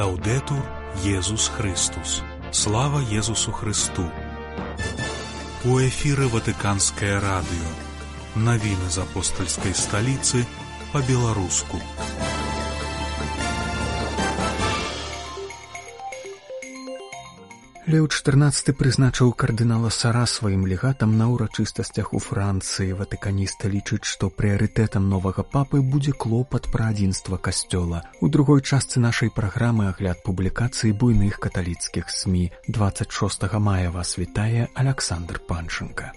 Лаўдэтур Езус Христус. Слава Езусу Христу. У эфіры Ватыканскае радыё. Навіны з апостальскай сталіцы па-беларуску. Леў XIV прызначыў кардынала Сара сваім легатам на ўрачыстасцях у Францыі. Ватыканісты лічаць, што прыярытэтам новага папы будзе клопат пра адзінства касцёла. У другой частцы нашай праграмы агляд публікацый буйных каталіцкіх СМІ. 26 мая вас вітае Аляксандр Панченка.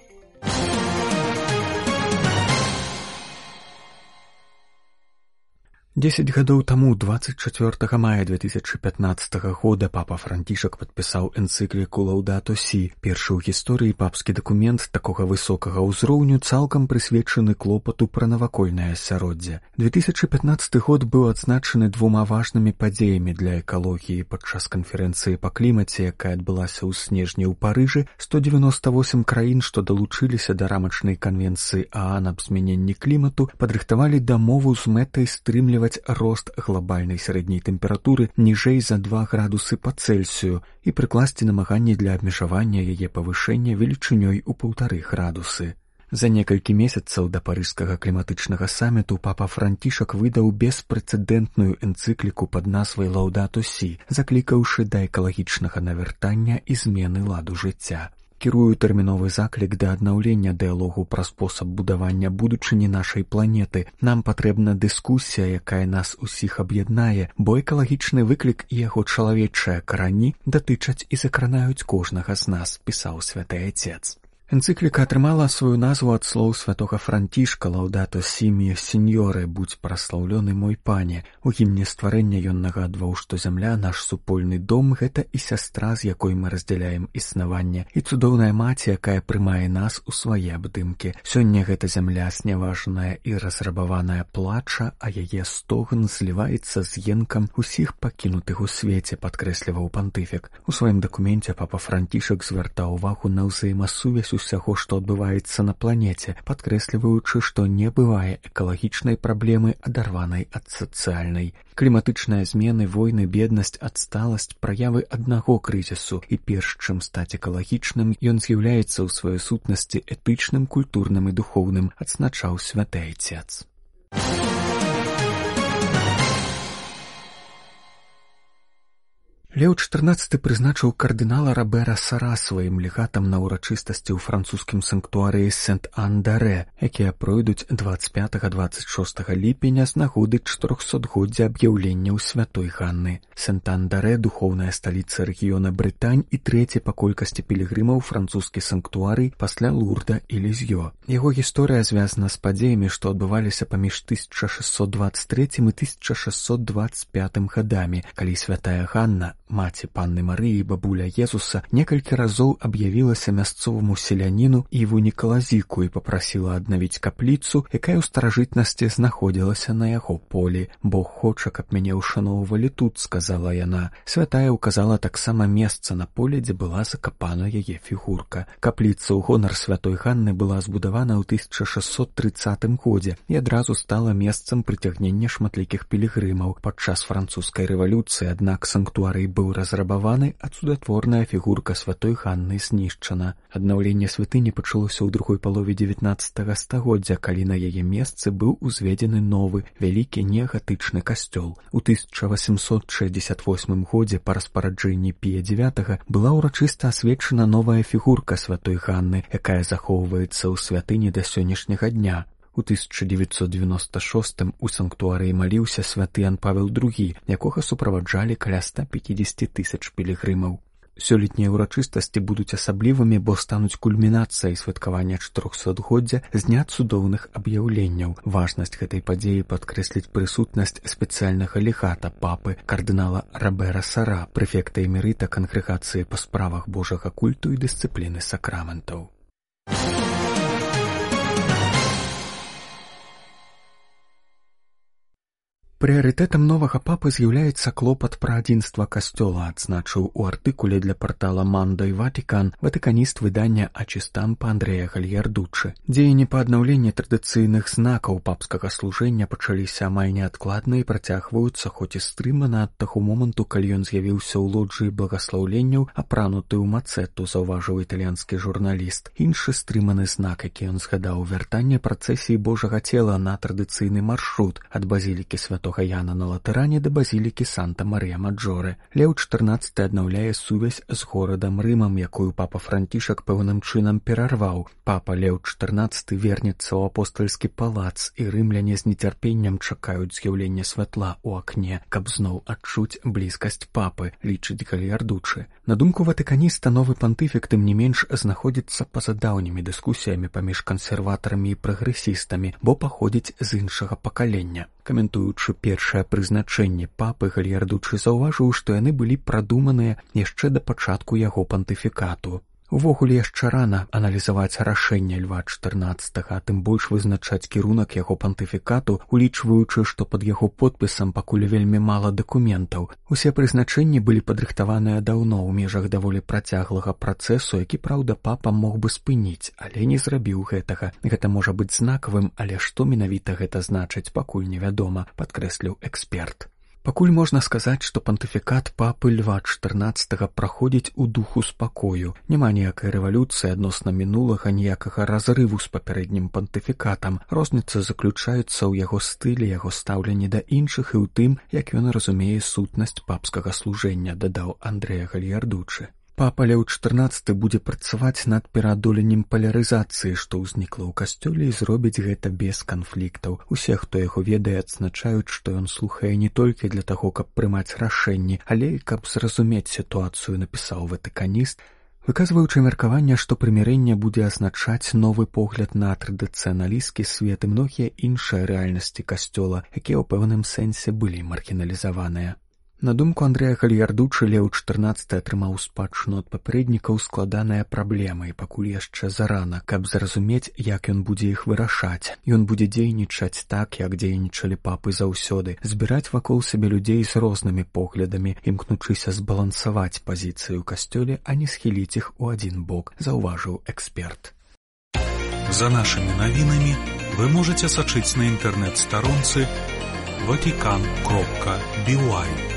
10 гадоў таму, 24 мая 2015 года, папа Францішак падпісаў энцыкліку «Лаўдато Сі», першы ў гісторыі папскі дакумент такога высокага ўзроўню, цалкам прысвечаны клопату пра навакольнае асяроддзе. 2015 год быў адзначаны двума важнымі падзеямі для экалогіі. Падчас канферэнцыі па клімаце, якая адбылася ў снежні ў Парыжы, 198 краін, што далучыліся да рамачнай канвенцыі ААН аб змяненні клімату, падрыхтавалі дамову з мэтай стрымліваць рост глобальнай сярэдняй тэмпературы ніжэй за 2 градусы па Цельсію і прыкласці намаганні для абмежавання яе павышэння велічынёй у 1,5 градусы. За некалькі месяцаў да парыжскага кліматычнага саміту папа Францішак выдаў беспрэцэдэнтную энцыкліку пад назвай «Лаўдато Сі», заклікаўшы да экалагічнага навяртання і змены ладу жыцця. Кірую тэрміновы заклік да аднаўлення дыялогу пра спосаб будавання будучыні нашай планеты. Нам патрэбна дыскусія, якая нас усіх аб'яднае, бо экалагічны выклік і яго чалавечыя карані датычаць і закранаюць кожнага з нас, пісаў святы Айцец. Энцыкліка атрымала сваю назву ад слоў святога Францішка «Лаўдато Сі міе сеньоры», будь праслаўлёны мой пане. У гімне стварэння ён нагадваў, што зямля, наш супольны дом, гэта і сястра, з якой мы раздзяляем існаванне, і цудоўная маці, якая прымае нас у свае абдымкі. Сёння гэта зямля сняважаная і разрабаваная плача, а яе стогн зліваецца з енкам усіх пакінутых у свеце, падкрэсліваў пантыфік. У сваім дакуменце папа Францішак звяртаў увагу на ўзаемасувязь усяго, што адбываецца на планеце, падкрэсліваючы, што не бывае экалагічнай праблемы, адарванай ад сацыяльнай. Кліматычныя змены, войны, беднасць, адсталасць — праявы аднаго крызісу, і перш чым стаць экалагічным, ён з'яўляецца ў сваёй сутнасці этычным, культурным і духоўным, адзначаў святы Айцец. Леў XIV прызначыў кардынала Робера Сара сваім легатам на ўрачыстасці ў французскім санктуарыі Сент-Ан-Дарэ, якія пройдуць 25-26 ліпеня з нагоды 400-годдзя аб'яўленняў святой Ганны. Сент-Ан-Дарэ — духоўная сталіца рэгіёна Брытань і трэці па колькасці пілігрымаў французскі санктуарый пасля Лурда і Лізьё. Яго гісторыя звязана з падзеямі, што адбываліся паміж 1623 і 1625 гадамі, калі святая Ганна, маці панны Марыі і бабуля Езуса, некалькі разоў аб'явілася мясцоваму селяніну Іву Нікалазіку і папрасіла аднавіць капліцу, якая ў старажытнасці знаходзілася на яго полі. «Бог хоча, каб мяне ўшаноўвалі тут», — сказала яна. Святая ўказала таксама месца на поле, дзе была закапана яе фігурка. Капліца ў гонар святой Ганны была збудавана ў 1630 годзе і адразу стала месцам прыцягнення шматлікіх пілігрымаў. Падчас французскай рэвалюцыі, аднак, санктуарый быў разрабаваны, а цудатворная фігурка святой Ганны знішчана. Аднаўленне святыні пачалося ў другой палове 19 стагоддзя, калі на яе месцы быў узведзены новы, вялікі неагатычны касцёл. У 1868 годзе па распараджэнні Пія IX была ўрачыста асвечана новая фігурка святой Ганны, якая захоўваецца ў святыні да сённяшняга дня. У 1996 у санктуарыі маліўся святы Ян Павел II, якога суправаджалі каля 150 000 пілігрымаў. Сёлетнія ўрачыстасці будуць асаблівымі, бо стануць кульмінацыяй святкавання 400-годдзя з дня цудоўных аб'яўленняў. Важнасць гэтай падзеі падкрэсліць прысутнасць спецыяльнага легата папы, кардынала Робера Сара, прэфекта эмерыта кангрэгацыі па справах божага культу і дысцыпліны сакраментаў. Прыярытэтам новага папы з'яўляецца клопат пра адзінства касцёла, адзначыў у артыкуле для партала «Мандой Ватикан» ватыканіст выдання «Ачыстампа» Андреа Гальярдуччы. Дзеянні па аднаўленні традыцыйных знакаў папскага служэння пачаліся амаль неадкладна і працягваюцца, хоць і стрымана ад таго моманту, калі ён з'явіўся ў лоджыі благаслаўленняў, апрануты ў мацэту, заўважыў італьянскі журналіст. Іншы стрыманы знак, які ён згадаў, вяртанне працэсіі Божага цела на традыцыйны маршрут ад базілікі святога Яна на Латэране да базілікі Санта-Марыя-Маджоре. Леў XIV аднаўляе сувязь з горадам Рымам, якую папа Францішак пэўным чынам перарваў. Папа Леў XIV вернецца ў апостальскі палац, і рымляне з нецярпеннем чакаюць з'яўлення святла ў акне, каб зноў адчуць блізкасць папы, лічыць Гальярдуччы. На думку ватыканіста, новы пантыфік тым не менш знаходзіцца па-за даўнімі дыскусіямі паміж кансерватарамі і прагрэсістамі, бо паходзіць з іншага пакалення. Каментуючы першае прызначэнне папы, Гальярдуччы заўважыў, што яны былі прадуманыя яшчэ да пачатку яго пантыфікату. Увогуле яшчэ рана аналізаваць рашэнне Льва XIV, а тым больш вызначаць кірунак яго пантыфікату, улічваючы, што пад яго подпісам пакуль вельмі мала дакументаў. Усе прызначэнні былі падрыхтаваныя даўно ў межах даволі працяглага працэсу, які, праўда, папа мог бы спыніць, але не зрабіў гэтага. Гэта можа быць знакавым, але што менавіта гэта значыць, пакуль невядома, падкрэсліў эксперт. Пакуль можна сказаць, што пантыфікат папы Льва XIV праходзіць у духу спакою. Няма ніякай рэвалюцыі адносна мінулага, ніякага разрыву з папярэднім пантыфікатам. Розніца заключаецца ў яго стылі, яго стаўленні да іншых і ў тым, як ён разумее сутнасць папскага служэння, дадаў Андреа Гальярдуччы. Папа Леў XIV будзе працаваць над пераадоленнем палярызацыі, што ўзнікла ў касцёле, і зробіць гэта без канфліктаў. Усе, хто яго ведае, адзначаюць, што ён слухае не толькі для таго, каб прымаць рашэнні, але і каб зразумець сітуацыю, напісаў ватыканіст, выказваючы меркаванне, што прымірэнне будзе азначаць новы погляд на традыцыяналісцкі свет і многія іншыя рэальнасці касцёла, якія ў пэўным сэнсе былі маргіналізаваныя. На думку Андреа Гальярдуччы, Леў XIV атрымаў спадчыну ад папярэднікаў складаныя праблемы, і пакуль яшчэ зарана, каб зразумець, як ён будзе іх вырашаць. Ён будзе дзейнічаць так, як дзейнічалі папы заўсёды, збіраць вакол сябе людзей з рознымі поглядамі, імкнучыся збалансаваць пазіцыю ў касцёле, а не схіліць іх у адзін бок, заўважыў эксперт. За нашымі навінамі вы можаце сачыць на інтэрнэт-старонцы vatican.by.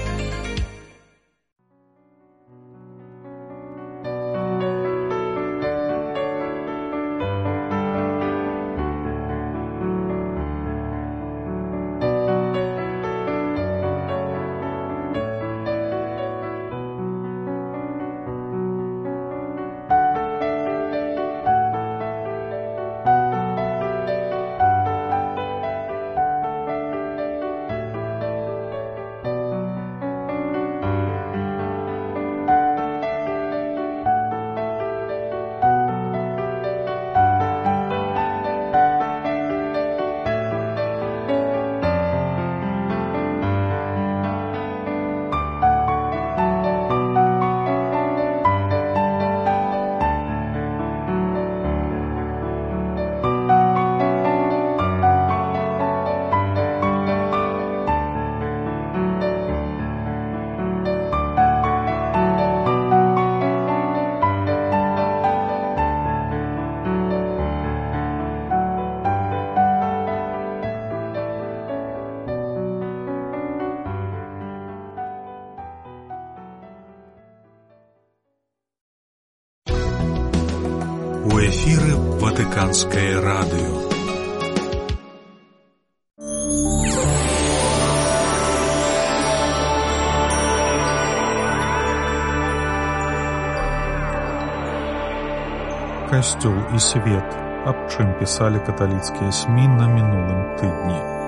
У эфіры Ватыканскае радыё. Касцёл і свет. Аб чым пісалі каталіцкія СМІ на мінулым тыдні.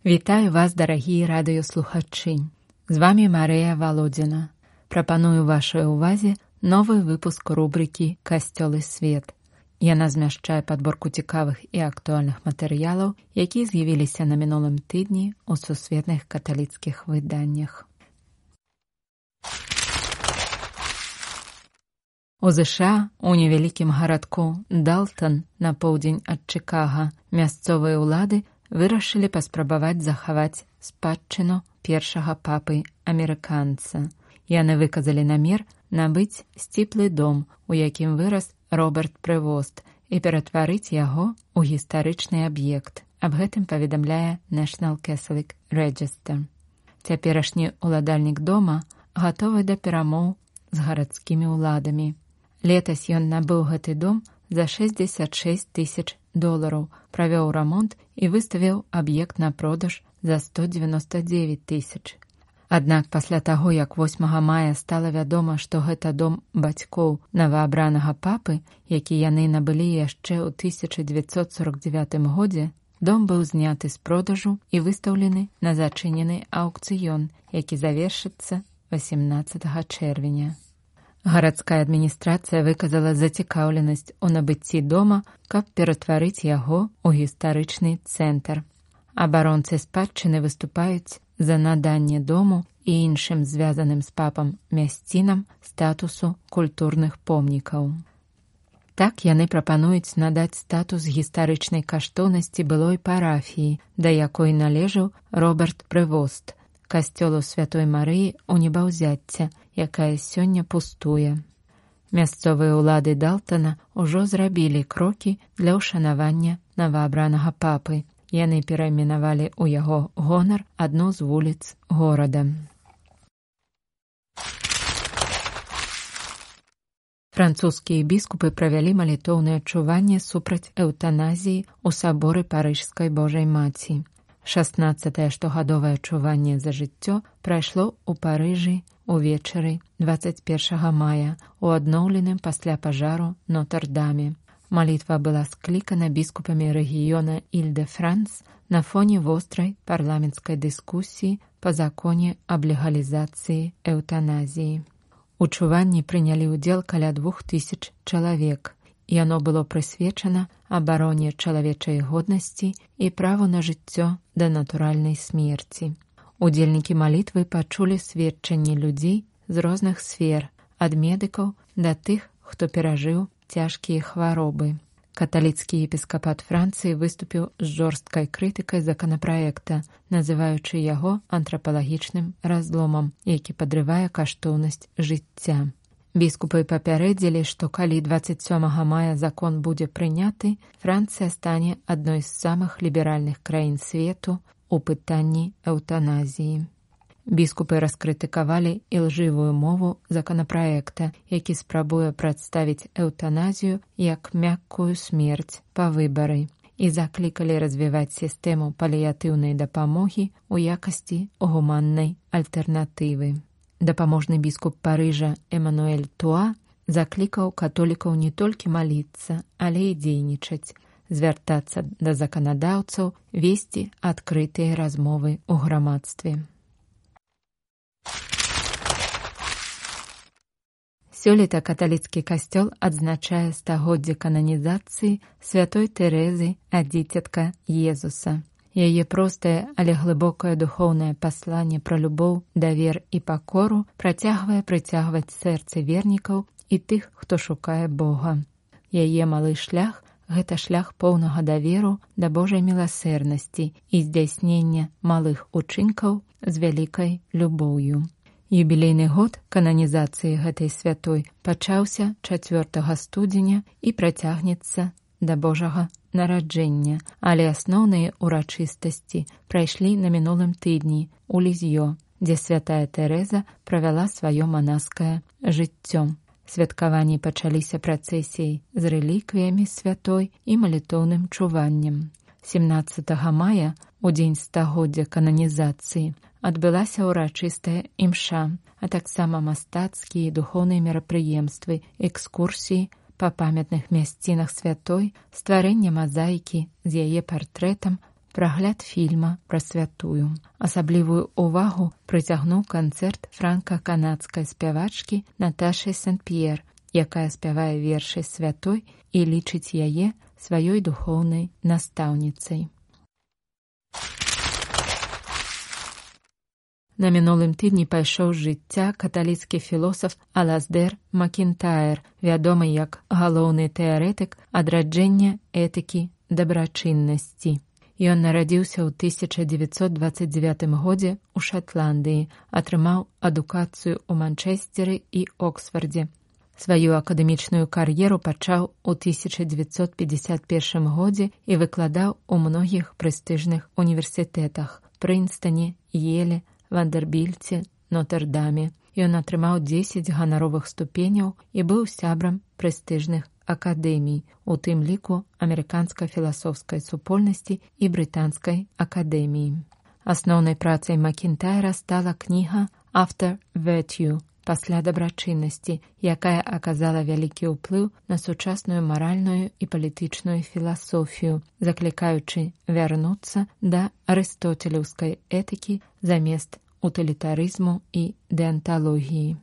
Вітаю вас, дарагія радыёслухачы. З вамі Марыя Валодзіна. Прапаную вашай увазе новы выпуск рубрыкі «Касцёл і свет». Яна змяшчае падборку цікавых і актуальных матэрыялаў, якія з'явіліся на мінулым тыдні ў сусветных каталіцкіх выданнях. У ЗША, у невялікім гарадку Далтан на поўдзень ад Чыкага, мясцовыя ўлады вырашылі паспрабаваць захаваць спадчыну першага папы-амерыканца. Яны выказалі намер набыць сціплы дом, у якім вырас Роберт Прэвост, і ператварыць яго ў гістарычны аб'ект. Аб гэтым паведамляе National Catholic Register. Цяперашні ўладальнік дома гатовы да перамоў з гарадскімі ўладамі. Летась ён набыў гэты дом за $66 000, правёў рамонт і выставіў аб'ект на продаж за $199 000. Аднак пасля таго, як 8 мая стала вядома, што гэта дом бацькоў новаабранага папы, які яны набылі яшчэ ў 1949 годзе, дом быў зняты з продажу і выстаўлены на зачынены аўкцыён, які завершыцца 18 чэрвеня. Гарадская адміністрацыя выказала зацікаўленасць у набыцці дома, каб ператварыць яго ў гістарычны цэнтр. Абаронцы спадчыны выступаюць за наданне дому і іншым звязаным з папам мясцінам статусу культурных помнікаў. Так яны прапануюць надаць статус гістарычнай каштоўнасці былой парафіі, да якой належаў Роберт Прэвост, касцёлу Святой Марыі ў Небаўзяцця, якая сёння пустуе. Мясцовыя ўлады Далтана ўжо зрабілі крокі для ўшанавання новаабранага папы. Яны перайменавалі ў яго гонар адну з вуліц горада. Французскія біскупы правялі малітоўнае чуванне супраць эўтаназіі ў саборы Парыжскай Божай Маці. 16-е штогадовае чуванне за жыццё прайшло ў Парыжы увечары 21 мая у адноўленым пасля пажару Нотр-Даме. Малітва была склікана біскупамі рэгіёна Іль-де-Франс на фоне вострай парламенцкай дыскусіі па законе аб легалізацыі эўтаназіі. У чуванні прынялі ўдзел каля 2000 чалавек. Яно было прысвечана абароне чалавечай годнасці і праву на жыццё да натуральнай смерці. Удзельнікі малітвы пачулі сведчанні людзей з розных сфер, ад медыкаў да тых, хто перажыў цяжкія хваробы. Каталіцкі епіскапат Францыі выступіў з жорсткай крытыкай законапраекта, называючы яго антрапалагічным разломам, які падрывае каштоўнасць жыцця. Біскупы папярэдзілі, што калі 27 мая закон будзе прыняты, Францыя стане адной з самых ліберальных краін свету у пытанні эўтаназіі. Біскупы раскрытыкавалі ілжывую мову законапраекта, які спрабуе прадставіць эўтаназію як мяккую смерць па выбары, і заклікалі развіваць сістэму паліятыўнай дапамогі ў якасці гуманнай альтэрнатывы. Дапаможны біскуп Парыжа Эмануэль Туа заклікаў католікаў не толькі маліцца, але і дзейнічаць, звяртацца да заканадаўцаў, весці адкрытыя размовы ў грамадстве. Сёлета каталіцкі касцёл адзначае стагоддзе кананізацыі святой Тэрэзы ад дзіцятка Езуса. Яе простае, але глыбокае духоўнае пасланне пра любоў, давер і пакору працягвае прыцягваць сэрцы вернікаў і тых, хто шукае Бога. Яе малы шлях – гэта шлях поўнага даверу да Божай міласэрнасці і здзяйснення малых учынкаў з вялікай любоўю. Юбілейны год кананізацыі гэтай святой пачаўся 4 студзеня і працягнецца да Божага нараджэння, але асноўныя урачыстасці прайшлі на мінулым тыдні ў Лізьё, дзе святая Тэрэза правяла сваё манаскае жыццё. Святкаванні пачаліся працэсіяй з рэліквіямі святой і малітоўным чуваннем. 17 мая, у дзень стагоддзя кананізацыі, адбылася ўрачыстая імша, а таксама мастацкія і духоўныя мерапрыемствы, экскурсіі па памятных мясцінах святой, стварэнне мазаікі з яе партрэтам, прагляд фільма пра святую. Асаблівую ўвагу прыцягнуў канцэрт франка-канадскай спявачкі Наташы Сен-П'ер, якая спявае вершы святой і лічыць яе сваёй духоўнай настаўніцай. На мінулым тыдні пайшоў з жыцця каталіцкі філосаф Алаздэр Макінтаер, вядомы як галоўны тэарэтык адраджэння этыкі дабрачыннасці. Ён нарадзіўся ў 1929 годзе ў Шатландыі, атрымаў адукацыю ў Манчэсцеры і Оксфардзе. Сваю акадэмічную кар'еру пачаў у 1951 годзе і выкладаў у многіх прэстыжных універсітэтах – Прынстоне, Еле, Вандербільце, Нотр-Даме. Ён атрымаў 10 ганаровых ступеняў і быў сябрам прэстыжных акадэмій, у тым ліку Амерыканскай філасофскай супольнасці і Брытанскай акадэміі. Асноўнай працай Макінтайра стала кніга «After Virtue» пасля дабрачыннасці, якая аказала вялікі ўплыў на сучасную маральную і палітычную філасофію, заклікаючы вярнуцца да арыстоцелеўскай этыкі замест утылітарызму і дэанталогіі.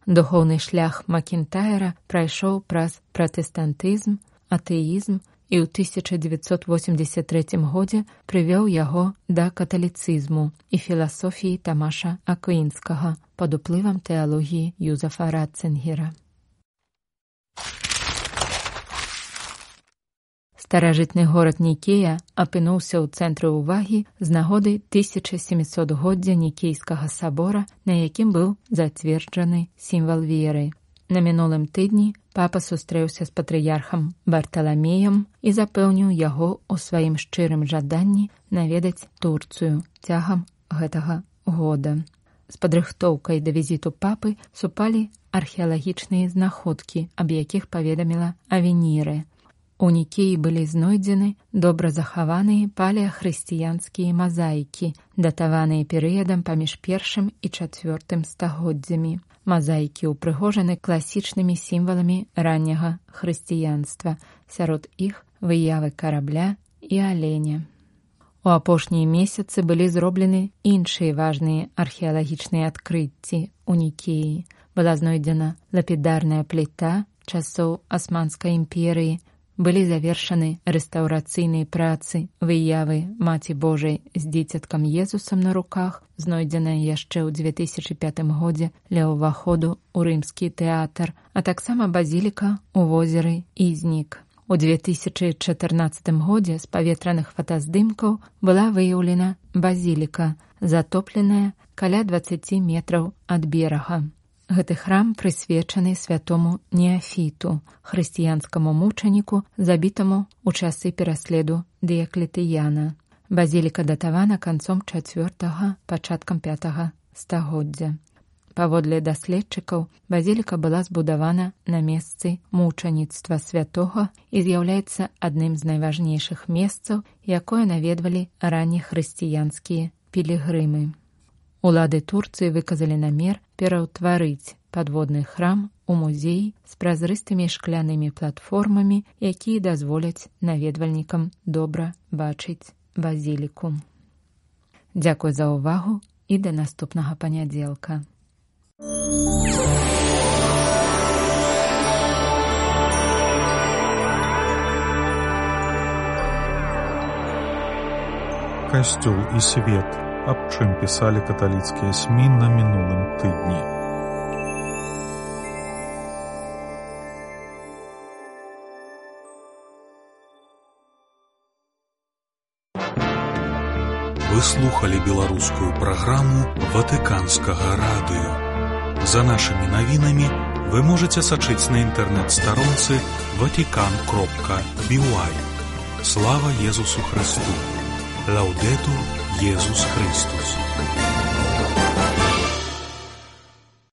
Духоўны шлях Макінтайра прайшоў праз пратэстантызм, атэізм і ў 1983 годзе прывёў яго да каталіцызму і філасофіі Тамаша Аквінскага пад уплывам тэалогіі Юзефа Ратцынгера. Старажытны горад Нікея апынуўся ў цэнтры ўвагі з нагоды 1700-годдзя Нікейскага сабора, на якім быў зацверджаны сімвал веры. На мінулым тыдні папа сустрэўся з патрыярхам Барталамеем і запэўніў яго ў сваім шчырым жаданні наведаць Турцыю цягам гэтага года. З падрыхтоўкай да візіту папы супалі археалагічныя знаходкі, аб якіх паведаміла Авенірэ. У Нікеі былі знойдзены добра захаваныя палеахрысціянскія мазаікі, датаваныя перыядам паміж першым і чацвёртым стагоддзямі. Мазаікі ўпрыгожаны класічнымі сімваламі ранняга хрысціянства, сярод іх выявы карабля і аленя. У апошнія месяцы былі зроблены іншыя важныя археалагічныя адкрыцці ў Нікеі. Была знойдзена лапідарная пліта часоў Асманскай імперыі, былі завершаны рэстаўрацыйныя працы выявы Маці Божай з дзіцяткам Езусам на руках, знойдзеная яшчэ ў 2005 годзе ля ўваходу ў рымскі тэатр, а таксама базіліка ў возеры Ізнік. У 2014 годзе з паветраных фотаздымкаў была выяўлена базіліка, затопленая каля 20 метраў ад берага. Гэты храм прысвечаны святому Неафіту, хрысціянскаму мучаніку, забітаму ў часы пераследу Дыяклетыяна. Базіліка датавана канцом 4-га, пачаткам 5-га стагоддзя. Паводле даследчыкаў, базіліка была збудавана на месцы мучаніцтва святога і з'яўляецца адным з найважнейшых месцаў, якое наведвалі раннехрысціянскія пілігрымы. Улады Турцыі выказалі намер пераўтварыць падводны храм у музей з празрыстымі шклянымі платформамі, якія дазволяць наведвальнікам добра бачыць базіліку. Дзякуй за ўвагу і да наступнага панядзелка. Касцёл і свет. Аб чым пісалі каталіцкія СМІ на мінулым тыдні. Вы слухали беларускую праграму Ватыканскага радыё. За нашымі навінамі вы можаце сачыць на інтэрнэт-старонцы vatican.by. Слава Езусу Христу! Лаудетур Jesús Christus.